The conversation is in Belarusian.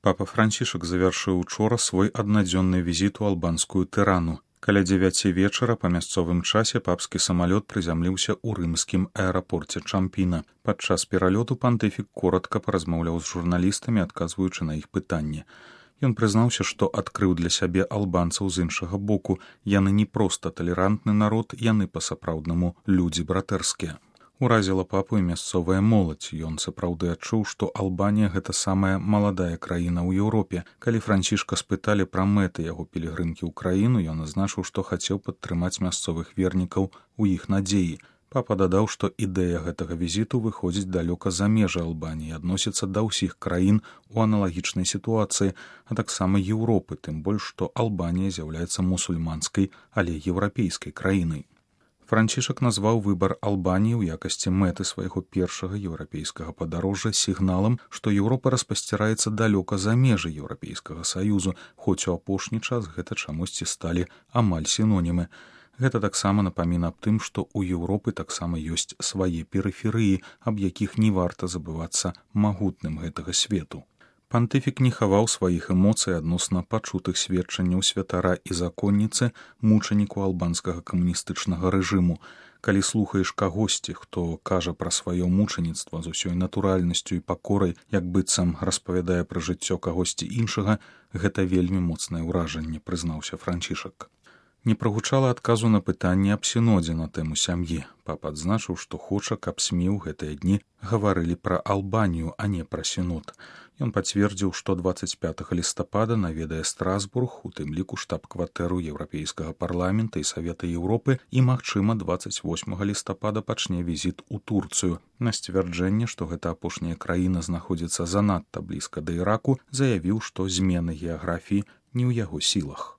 Папа Францішак завяршыў учора свой аднадзённы візіт у албанскую Тырану. Каля 9 вечара па мясцовым часе папскі самалёт прызямліўся ў рымскім аэрапорце Чампіна. Падчас пералёту пантыфік коратка паразмаўляў з журналістамі, адказваючы на іх пытанні. Ён прызнаўся, што адкрыў для сябе албанцаў з іншага боку. Яны не проста талерантны народ, яны па-сапраўднаму людзі братэрскія. Уразіла папу і мясцовая моладзь. Ён сапраўды адчуў, што Албанія гэта самая маладая краіна ў Еўропе. Калі Францішка спыталі пра мэты яго пілігрымкі ў краіну, ён азначыў, што хацеў падтрымаць мясцовых вернікаў у іх надзеі. Папа дадаў, што ідэя гэтага візіту выходзіць далёка за межы Албаніі, адносіцца да ўсіх краін у аналагічнай сітуацыі, а таксама Еўропы, тым больш, што Албанія з'яўляецца мусульманскай, але еўрапейскай краінай. Францішак назваў выбар Албаніі ў якасці мэты свайго першага еўрапейскага падарожжа сігналам, што Еўропа распасціраецца далёка за межы Еўрапейскага саюзу, хоць у апошні час гэта чамусьці сталі амаль сінонімы. Гэта таксама напаміна аб тым, што ў Еўропы таксама ёсць свае перыферыі, аб якіх не варта забывацца магутным гэтага свету. Пантыфік не хаваў сваіх эмоцый адносна пачутых сведчанняў святара і законніцы, мучаніку албанскага камуністычнага рэжыму. Калі слухаеш кагосьці, хто кажа пра сваё мучаніцтва з усёй натуральнасцю і пакорай, як быццам распавядае пра жыццё кагосьці іншага, гэта вельмі моцнае ўражанне, прызнаўся Францішак. Не прагучала адказу на пытанне аб сінодзе на тэму сям'і. Папа адзначыў, што хоча, каб СМІ ў гэтыя дні гаварылі пра Албанію, а не пра сінод. Ён пацвердзіў, што 25 лістапада наведае Страсбург, у тым ліку штаб-кватэру Еўрапейскага парламента і Савета Еўропы, і, магчыма, 28 лістапада пачне візіт у Турцыю. На сцвярджэнне, што гэта апошняя краіна знаходзіцца занадта блізка да Іраку, заявіў, што змены геаграфіі не ў яго сілах.